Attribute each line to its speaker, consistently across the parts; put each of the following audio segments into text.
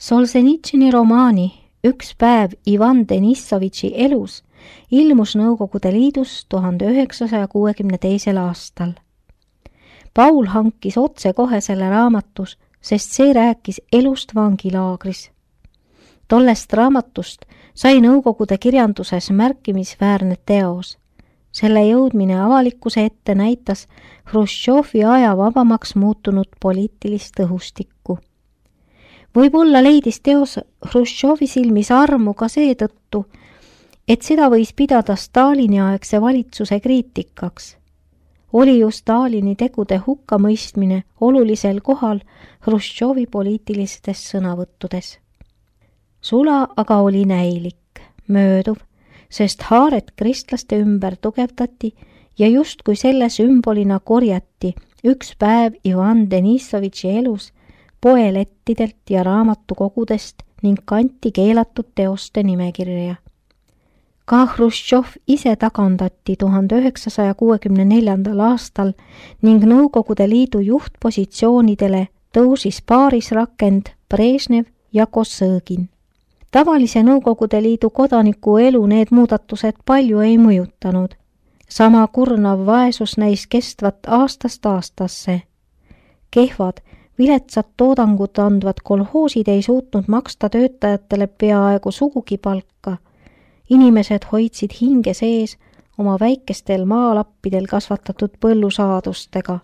Speaker 1: Solženitsõni romaani Üks päev Ivan Denissovitši elus ilmus Nõukogude Liidus 1962. aastal. Paul hankis otsekohe selle raamatus, sest see rääkis elust vangilaagris. Tollest raamatust sai Nõukogude kirjanduses märkimisväärne teos. Selle jõudmine avalikkuse ette näitas Hruštšovi aja vabamaks muutunud poliitilist õhustikku. Võib-olla leidis teos Hruštšovi silmis armu ka seetõttu, et seda võis pidada Stalini aegse valitsuse kriitikaks. Oli ju Stalini tegude hukkamõistmine olulisel kohal Hruštšovi poliitilistes sõnavõttudes. Sula aga oli näilik, mööduv, sest haaret kristlaste ümber tugevdati ja justkui selle sümbolina korjati üks päev Ivan Denissovitši elus poelettidelt ja raamatukogudest ning kanti keelatud teoste nimekirja. Ka Hruštšov ise tagandati 1964. aastal ning Nõukogude Liidu juhtpositsioonidele tõusis paarisrakend Brežnev ja Kosõgin. Tavalise Nõukogude Liidu kodaniku elu need muudatused palju ei mõjutanud. Sama kurnav vaesus näis kestvat aastast aastasse. Kehvad, viletsad toodangut andvad kolhoosid ei suutnud maksta töötajatele peaaegu sugugi palka. Inimesed hoidsid hinge sees oma väikestel maalappidel kasvatatud põllusaadustega.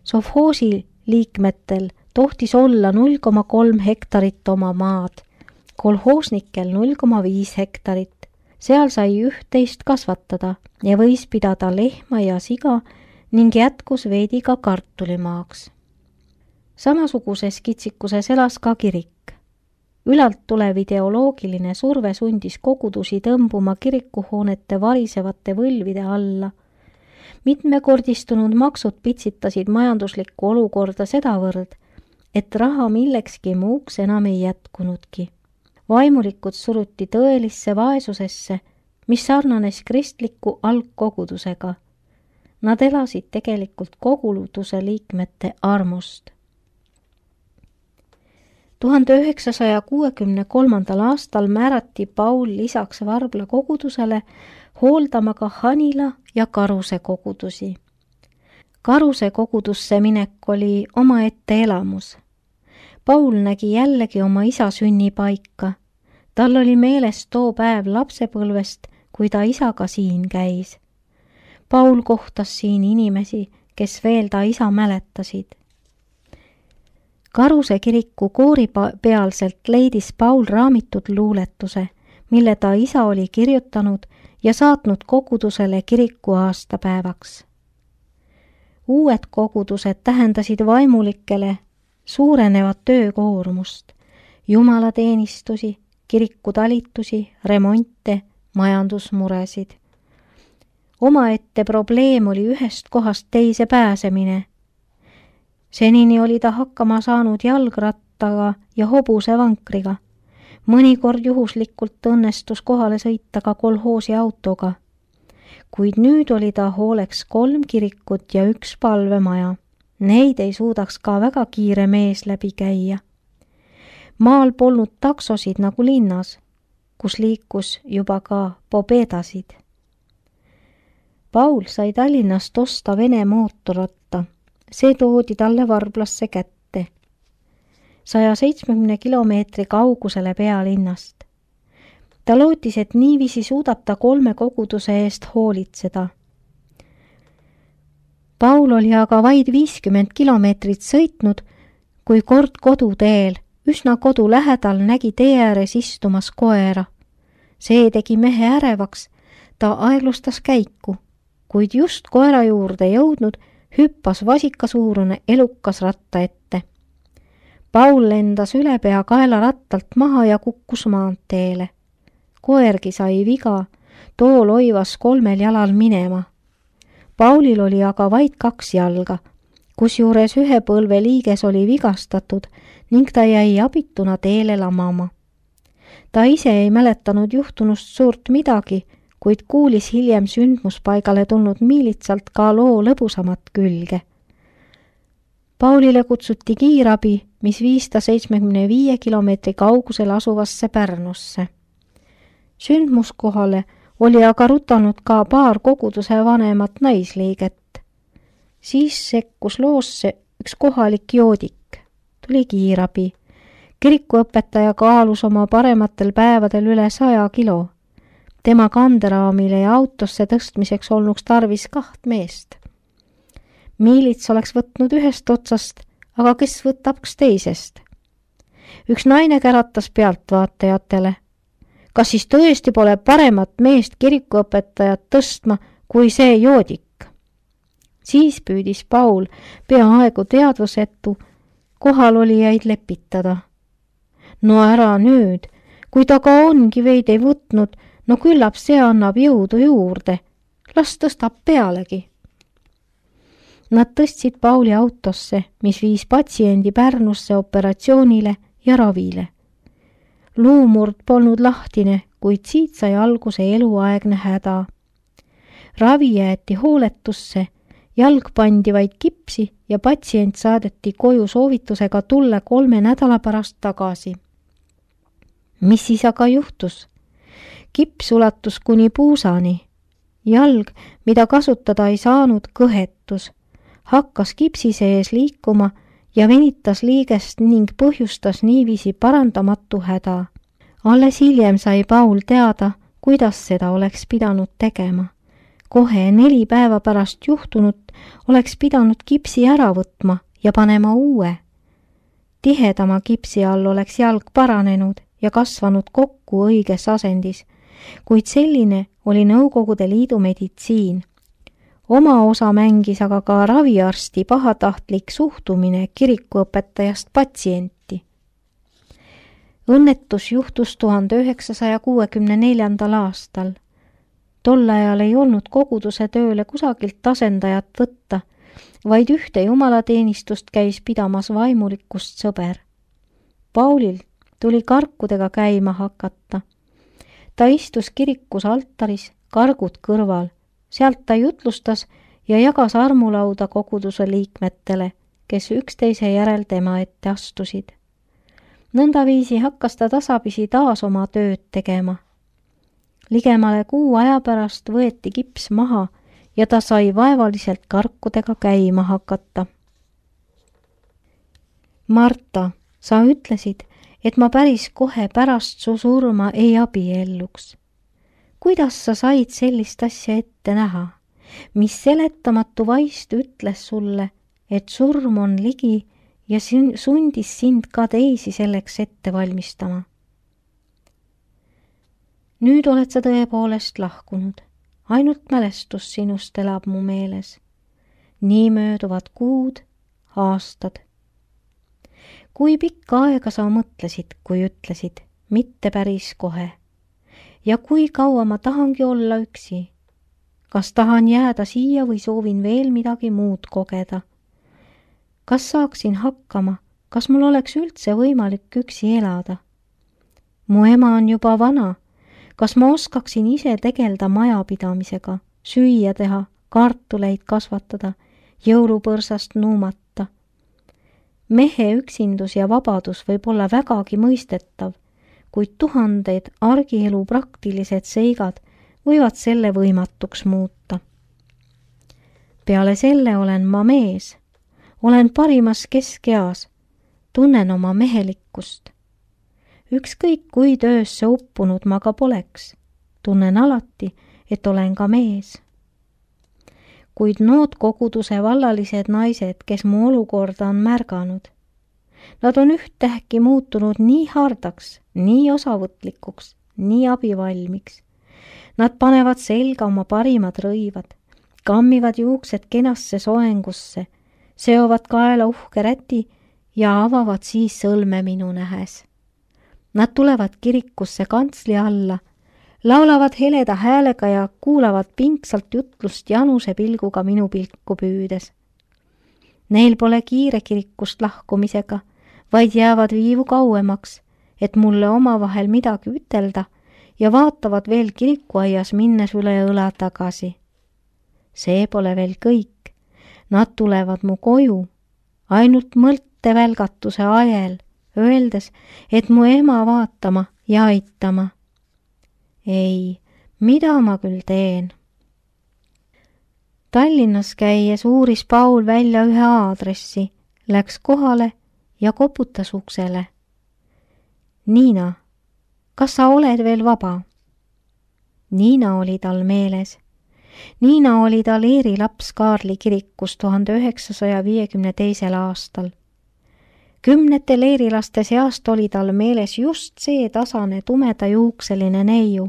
Speaker 1: Sovhoosi liikmetel tohtis olla 0,3 hektarit oma maad, kolhoosnikel 0,5 hektarit. Seal sai üht-teist kasvatada ja võis pidada lehma ja siga ning jätkus veidi ka kartulimaaks. Samasuguses kitsikuses elas ka kirik. Ülalt tulev ideoloogiline surve sundis kogudusi tõmbuma kirikuhoonete varisevate võlvide alla. Mitmekordistunud maksud pitsitasid majanduslikku olukorda sedavõrd, et raha millekski muuks enam ei jätkunudki. Vaimulikud suruti tõelisse vaesusesse, mis sarnanes kristliku algkogudusega. Nad elasid tegelikult koguduse liikmete armust. 1963. aastal määrati Paul lisaks Varbla kogudusele hooldama ka Hanila ja Karuse kogudusi. Karuse kogudusse minek oli omaette elamus. Paul nägi jällegi oma isa sünnipaika. Tal oli meeles too päev lapsepõlvest, kui ta isaga siin käis. Paul kohtas siin inimesi, kes veel ta isa mäletasid. Karuse kiriku koori pealselt leidis Paul raamitud luuletuse, mille ta isa oli kirjutanud ja saatnud kogudusele kiriku aastapäevaks. Uued kogudused tähendasid vaimulikele suurenevat töökoormust, jumalateenistusi, kirikutalitusi, remonte, majandusmuresid. Omaette probleem oli ühest kohast teise pääsemine. Senini oli ta hakkama saanud jalgrattaga ja hobusevankriga. Mõnikord juhuslikult õnnestus kohale sõita ka kolhoosi autoga. Kuid nüüd oli ta hooleks 3 kirikut ja 1 palvemaja. Neid ei suudaks ka väga kiire mees läbi käia. Maal polnud taksosid nagu linnas, kus liikus juba ka pobedasid. Paul sai Tallinnast osta Vene mootorratta. See toodi talle Varblasse kätte. 170 kilomeetri kaugusele pealinnast. Ta lootis, et niiviisi suudab ta 3 koguduse eest hoolitseda. Paul oli aga vaid 50 kilomeetrit sõitnud, kui kord koduteel, üsna kodu lähedal nägi tee ääres istumas koera. See tegi mehe ärevaks, ta aeglustas käiku, kuid just koera juurde jõudnud, hüppas vasikasuurune elukas ratta ette. Paul lendas ülepea kaela rattalt maha ja kukkus maanteele. Koergi sai viga, too loivas 3 jalal minema. Paulil oli aga vaid 2 jalga, kusjuures ühe põlve liiges oli vigastatud ning ta jäi abituna teele lamama. Ta ise ei mäletanud juhtunust suurt midagi, kuid kuulis hiljem sündmuspaigale tulnud miilitsalt ka loo lõbusamat külge. Paulile kutsuti kiirabi, mis viis ta 75 kilomeetri kaugusel asuvasse Pärnusse. Sündmuskohale oli aga rutanud ka paar koguduse vanemat naisliiget. Siis sekkus loosse üks kohalik joodik. Tuli kiirabi. Kirikuõpetaja kaalus oma parematel päevadel üle 100 kilo. Tema kanderaamile ja autosse tõstmiseks olnuks tarvis 2 meest. Miilits oleks võtnud ühest otsast, aga kes võtaks teisest? Üks naine käratas pealtvaatajatele. Kas siis tõesti pole paremat meest kirikuõpetajat tõstma kui see joodik? Siis püüdis Paul peaaegu teadvusetu kohalolijaid lepitada. No ära nüüd, kui ta ka ongi veid ei võtnud, no küllap see annab jõudu juurde. Las tõstab pealegi. Nad tõstsid Pauli autosse, mis viis patsiendi Pärnusse operatsioonile ja ravile. Luumurd polnud lahtine, kuid siit sai alguse eluaegne häda. Ravi jäeti hooletusse, jalg pandi vaid kipsi ja patsient saadeti koju soovitusega tulla 3 nädala pärast tagasi. Mis siis aga juhtus? Kips ulatus kuni puusani. Jalg, mida kasutada ei saanud, kõhetus. Hakkas kipsi sees liikuma ja venitas liigest ning põhjustas niiviisi parandamatu häda. Alles hiljem sai Paul teada, kuidas seda oleks pidanud tegema. Kohe 4 päeva pärast juhtunut oleks pidanud kipsi ära võtma ja panema uue. Tihedama kipsi all oleks jalg paranenud ja kasvanud kokku õiges asendis, kuid selline oli Nõukogude Liidu meditsiin. Oma osa mängis aga ka raviarsti pahatahtlik suhtumine kirikuõpetajast patsienti. Õnnetus juhtus 1964. aastal. Tol ajal ei olnud koguduse tööle kusagilt asendajat võtta, vaid ühte jumalateenistust käis pidamas vaimulikust sõber. Paulil tuli karkudega käima hakata. Ta istus kirikus altaris, kargud kõrval. Sealt ta jutlustas ja jagas armulauda koguduse liikmetele, kes üksteise järel tema ette astusid. Nõndaviisi hakkas ta tasapisi taas oma tööd tegema. Ligemale 6 aja pärast võeti kips maha ja ta sai vaevaliselt karkudega käima hakata. Marta, sa ütlesid, et ma päris kohe pärast su surma ei abielluks. Kuidas sa said sellist asja ette näha? Mis seletamatu vaist ütles sulle, et surm on ligi ja sundis sind ka teisi selleks ette valmistama? Nüüd oled sa tõepoolest lahkunud. Ainult mälestus sinust elab mu meeles. Nii mööduvad kuud, aastad. Kui pikka aega sa mõtlesid, kui ütlesid, mitte päris kohe? Ja kui kaua ma tahangi olla üksi? Kas tahan jääda siia või soovin veel midagi muud kogeda? Kas saaksin hakkama? Kas mul oleks üldse võimalik üksi elada? Mu ema on juba vana. Kas ma oskaksin ise tegelda majapidamisega, süüa teha, kartuleid kasvatada, jõulupõrsast nuumata? Mehe üksindus ja vabadus võib olla vägagi mõistetav, kuid tuhanded argielu praktilised seigad võivad selle võimatuks muuta. Peale selle olen ma mees. Olen parimas keskeas. Tunnen oma mehelikkust. Ükskõik kui töösse uppunud ma ka poleks. Tunnen alati, et olen ka mees. Kuid nood koguduse vallalised naised, kes mu olukorda on märganud, nad on ühtäkki muutunud nii hardaks, nii osavõtlikuks, nii abivalmiks. Nad panevad selga oma parimad rõivad, kammivad juuksed kenasse soengusse, seovad kaela uhke räti ja avavad siis sõlme minu nähes. Nad tulevad kirikusse kantsli alla, laulavad heleda häälega ja kuulavad pingsalt jutlust januse pilguga minu pilku püüdes. Neil pole kiire kirikust lahkumisega, vaid jäävad viivu kauemaks, et mulle omavahel midagi ütelda ja vaatavad veel kirikuaias minnes üle õla tagasi. See pole veel kõik. Nad tulevad mu koju, ainult mõttevälgatuse ajel, öeldes, et mu ema vaatama ja aitama. Ei, mida ma küll teen? Tallinnas käies uuris Paul välja ühe aadressi, läks kohale ja koputas uksele. Niina, kas sa oled veel vaba? Niina oli tal meeles. Niina oli tal eerilaps Kaarli kirikus 1952. aastal. Kümnete leerilaste seast oli tal meeles just see tasane tumedajuukseline neiu,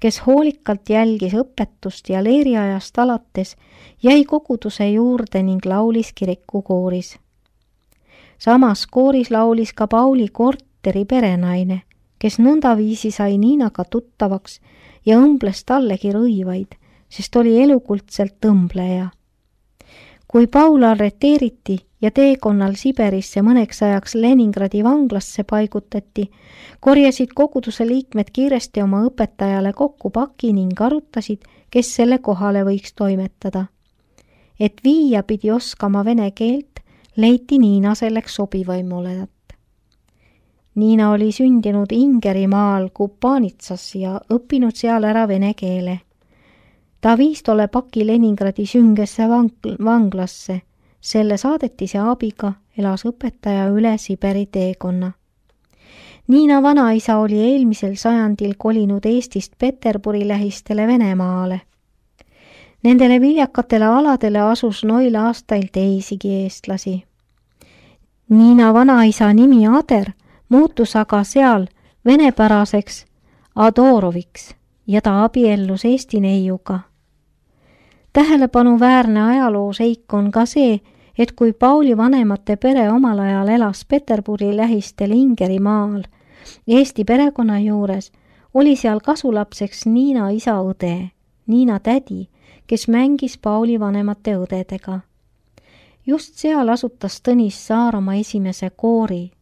Speaker 1: kes hoolikalt jälgis õpetust ja leeriajast alates jäi koguduse juurde ning laulis kirikukooris. Samas kooris laulis ka Pauli korteri perenaine, kes nõndaviisi sai Niinaga tuttavaks ja õmbles tallegi rõivaid, sest oli elukuldselt õmbleja. Kui Paul arreteeriti ja teekonnal Siberisse mõneks ajaks Leningradi vanglasse paigutati, korjasid koguduse liikmed kiiresti oma õpetajale kokku paki ning arutasid, kes selle kohale võiks toimetada. Et viia pidi oskama vene keelt, leiti Niina selleks sobivaimoledat. Niina oli sündinud Ingerimaal Kupanitsas ja õppinud seal ära vene keele. Ta viis tolle paki Leningradi süngesse vanglasse. Selle saadetise abiga elas õpetaja üle Siberi teekonna. Niina vanaisa oli eelmisel sajandil kolinud Eestist Peterburi lähistele Venemaale. Nendele viljakatele aladele asus noil aastail teisigi eestlasi. Niina vanaisa nimi Ader muutus aga seal venepäraseks Adoroviks ja ta abiellus Eesti neiuga. Tähelepanuväärne ajalooseik on ka see, et kui Pauli vanemate pere omal ajal elas Peterburi lähistel Ingerimaal Eesti perekonna juures, oli seal kasulapseks Niina isa õde, Niina tädi, kes mängis Pauli vanemate õdedega. Just seal asutas Tõnis Saar oma esimese koori.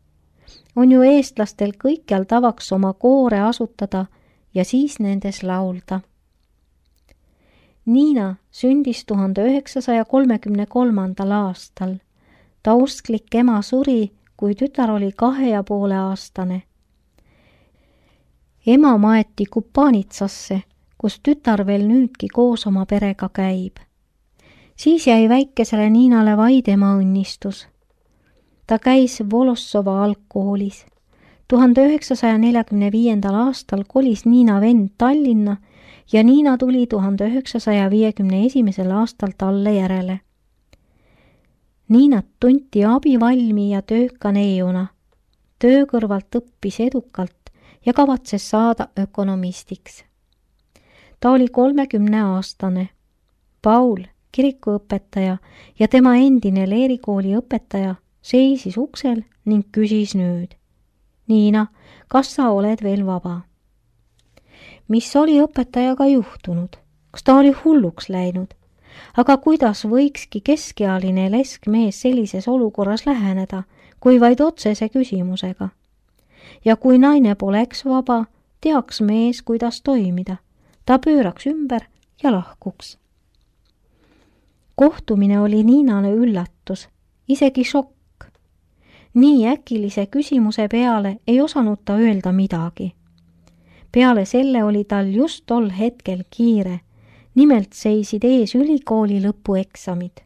Speaker 1: On ju eestlastel kõikjal tavaks oma koore asutada ja siis nendes laulda. Niina sündis 1933. aastal. Ta usklik ema suri, kui tütar oli 2,5-aastane. Ema maeti Kupanitsasse, kus tütar veel nüüdki koos oma perega käib. Siis jäi väikesele Niinale vaid ema õnnistus. Ta käis Volossova algkoolis. 1945. aastal kolis Niina vend Tallinna ja Niina tuli 1951. aastal talle järele. Niinat tunti abivalmi ja tööka neiuna. Töö kõrvalt õppis edukalt ja kavatses saada ökonomistiks. Ta oli 30-aastane. Paul, kirikuõpetaja ja tema endine leerikooli õpetaja seisis uksel ning küsis nüüd. Niina, kas sa oled veel vaba? Mis oli õpetajaga juhtunud? Kas ta oli hulluks läinud? Aga kuidas võikski keskealine leskmees sellises olukorras läheneda, kui vaid otsese küsimusega? Ja kui naine poleks vaba, teaks mees, kuidas toimida. Ta pööraks ümber ja lahkuks. Kohtumine oli Niinale üllatus, isegi šokk. Nii äkilise küsimuse peale ei osanud ta öelda midagi. Peale selle oli tal just tol hetkel kiire, nimelt seisid ees ülikooli lõpueksamid.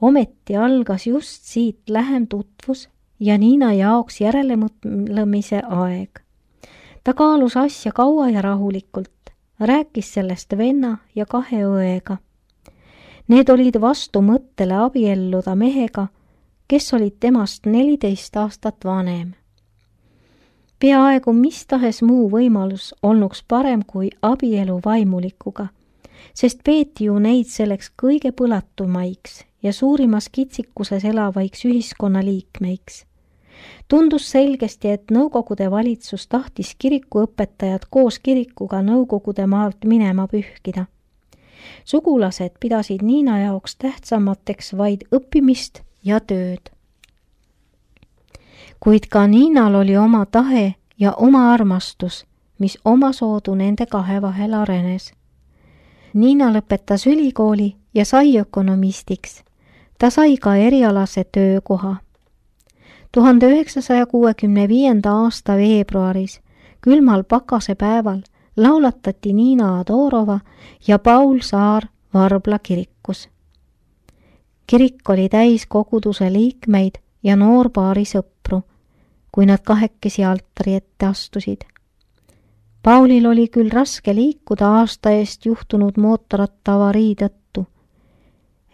Speaker 1: Ometi algas just siit lähem tutvus ja Niina jaoks järelemõtlemise aeg. Ta kaalus asja kaua ja rahulikult, rääkis sellest venna ja 2 õega. Need olid vastu mõttele abielluda mehega, kes olid temast 14 aastat vanem. Peaaegu mis tahes muu võimalus olnuks parem kui abielu vaimulikuga, sest peeti ju neid selleks kõige põlatumaiks ja suurimas kitsikuses elavaiks ühiskonnaliikmeiks. Tundus selgesti, et Nõukogude valitsus tahtis kirikuõpetajad koos kirikuga Nõukogude maalt minema pühkida. Sugulased pidasid Niina jaoks tähtsamateks vaid õppimist ja tööd. Kuid ka Niinal oli oma tahe ja oma armastus, mis omasoodu nende 2 vahel arenes. Niina lõpetas ülikooli ja sai ökonomistiks. Ta sai ka erialase töökoha. 1965. aasta veebruaris, külmal pakasepäeval, laulatati Niina Adorova ja Paul Saar Varbla kirikus. Kirik oli täis koguduse liikmeid ja noorpaari sõpru, kui nad kahekesi altari ette astusid. Paulil oli küll raske liikuda aasta eest juhtunud mootorratta avarii tõttu.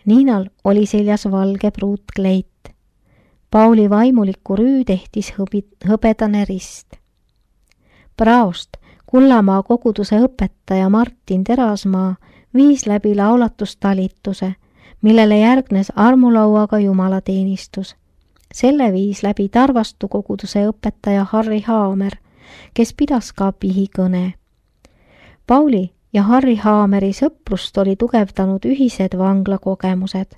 Speaker 1: Niinal oli seljas valge pruutkleit. Pauli vaimuliku rüü tehtis hõbedane rist. Praost Kullamaa koguduse õpetaja Martin Terasmaa viis läbi laulatustalituse, millele järgnes armulauaga jumalateenistus. Selle viis läbi Tarvastu koguduse õpetaja Harri Haamer, kes pidas ka pihikõne. Pauli ja Harri Haameri sõprust oli tugevdanud ühised vanglakogemused.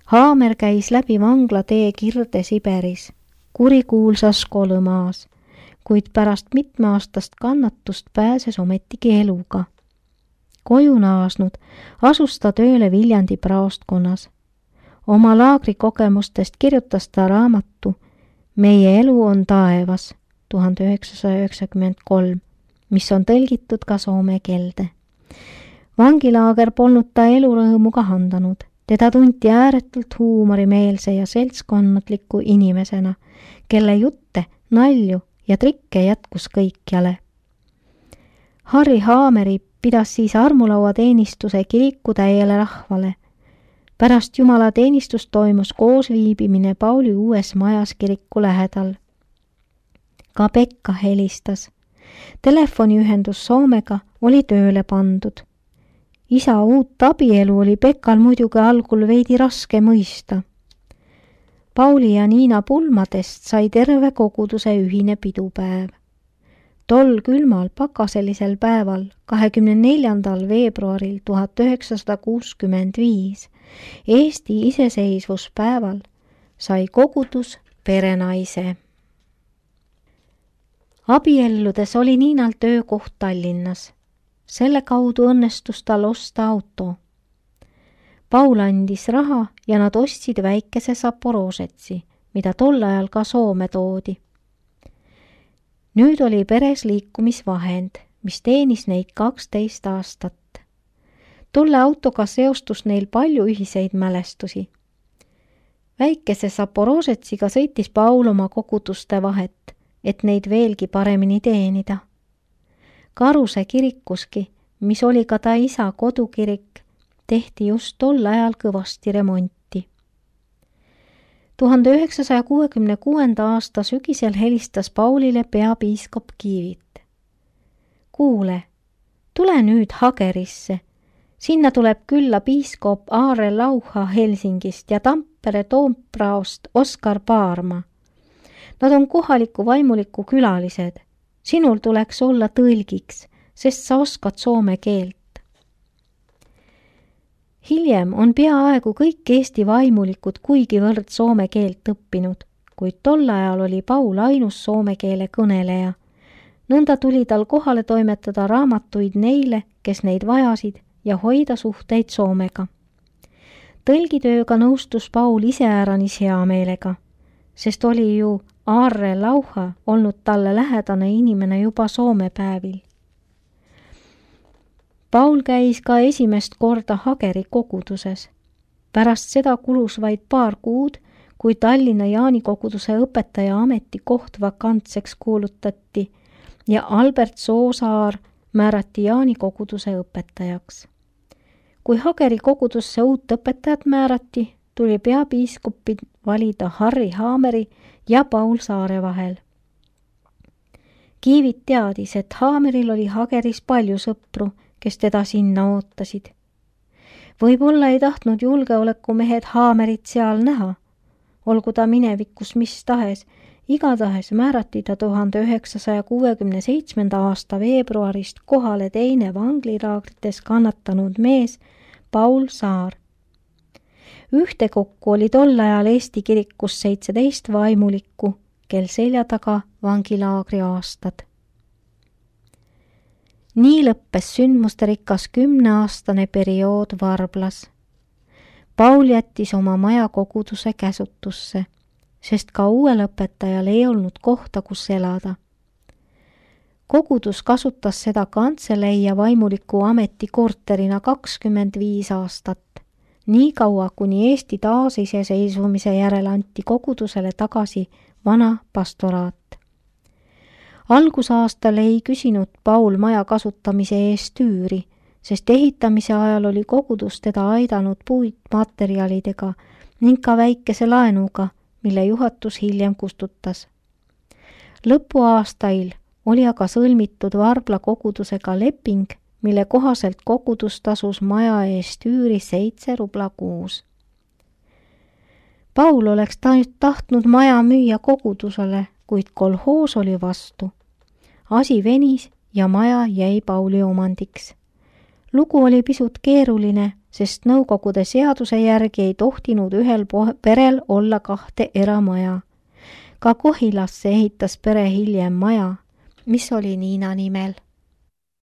Speaker 1: Haamer käis läbi vanglatee Kirde-Siberis, kurikuulsas Kolõmaas, kuid pärast mitmeaastast kannatust pääses ometigi eluga. Koju naasnud asus ta tööle Viljandi praostkonnas. Oma laagrikogemustest kirjutas ta raamatu Meie elu on taevas 1993, mis on tõlgitud ka soome keelde. Vangilaager polnud ta elurõõmu kahandanud. Teda tunti ääretult huumorimeelse ja seltskonnatliku inimesena, kelle jutte, nalju ja trikke jätkus kõikjale. Harri Haameri pidas siis armulauateenistuse kiriku täiele rahvale. Pärast jumalateenistust toimus koosviibimine Pauli uues majas kiriku lähedal. Ka Pekka helistas. Telefoniühendus Soomega oli tööle pandud. Isa uut abielu oli Pekkal muidugi algul veidi raske mõista. Pauli ja Niina pulmadest sai terve koguduse ühine pidupäev. Tol külmal pakaselisel päeval, 24. veebruaril 1965, Eesti iseseisvuspäeval, sai kogudus perenaise. Abielludes oli Niinal töökoht Tallinnas. Selle kaudu õnnestus tal osta auto. Paul andis raha ja nad ostsid väikese Zaporožetsi, mida tol ajal ka Soome toodi. Nüüd oli peres liikumisvahend, mis teenis neid 12 aastat. Tolle autoga seostus neil palju ühiseid mälestusi. Väikese Zaporožetsiga sõitis Paul oma koguduste vahet, et neid veelgi paremini teenida. Karuse kirikuski, mis oli ka ta isa kodukirik, tehti just tol ajal kõvasti remonti. 1966. aasta sügisel helistas Paulile peapiiskop Kiivit. Kuule, tule nüüd Hagerisse. Sinna tuleb külla piiskop Aare Lauha Helsingist ja Tampere Toompraost Oskar Paarma. Nad on kohaliku vaimuliku külalised. Sinul tuleks olla tõlgiks, sest sa oskad soome keelt. Hiljem on peaaegu kõik Eesti vaimulikud kuigivõrd soome keelt õppinud, kuid tol ajal oli Paul ainus soome keele kõneleja. Nõnda tuli tal kohale toimetada raamatuid neile, kes neid vajasid, ja hoida suhteid Soomega. Tõlgitööga nõustus Paul iseäranis hea meelega, sest oli ju Aarre Lauha olnud talle lähedane inimene juba Soome päevil. Paul käis ka esimest korda Hageri koguduses. Pärast seda kulus vaid paar kuud, kui Tallinna Jaani koguduse õpetaja ametikoht vakantseks kuulutati ja Albert Soosaar määrati Jaani koguduse õpetajaks. Kui Hageri kogudusse uut õpetajat määrati, tuli peapiiskopi valida Harri Haameri ja Paul Saare vahel. Kiivit teadis, et Haameril oli Hageris palju sõpru, kes teda sinna ootasid. Võib-olla ei tahtnud julgeolekumehed Haamerit seal näha. Olgu ta minevikus mis tahes, igatahes määrati ta 1967. aasta veebruarist kohale teine vanglilaagrites kannatanud mees Paul Saar. Ühtekokku oli tol ajal Eesti kirikus 17 vaimulikku, kel selja taga vangilaagri aastad. Nii lõppes sündmusterikas 10-aastane periood Varblas. Paul jättis oma maja koguduse käsutusse, sest ka uuel õpetajal ei olnud kohta, kus elada. Kogudus kasutas seda kantselei ja vaimuliku ameti korterina 25 aastat, nii kaua, kuni Eesti taasiseseisvumise järel anti kogudusele tagasi vana pastoraat. Algusaastal ei küsinud Paul maja kasutamise eest üüri, sest ehitamise ajal oli kogudus teda aidanud puitmaterjalidega ning ka väikese laenuga, mille juhatus hiljem kustutas. Lõpuaastail oli aga sõlmitud Varbla kogudusega leping, mille kohaselt kogudus tasus maja eest üüri 7 rubla kuus. Paul oleks tahtnud maja müüa kogudusele, kuid kolhoos oli vastu. Asi venis ja maja jäi Pauli omandiks. Lugu oli pisut keeruline, sest nõukogude seaduse järgi ei tohtinud ühel perel olla 2 eramaja. Ka Kohilasse ehitas pere hiljem maja, mis oli Niina nimel.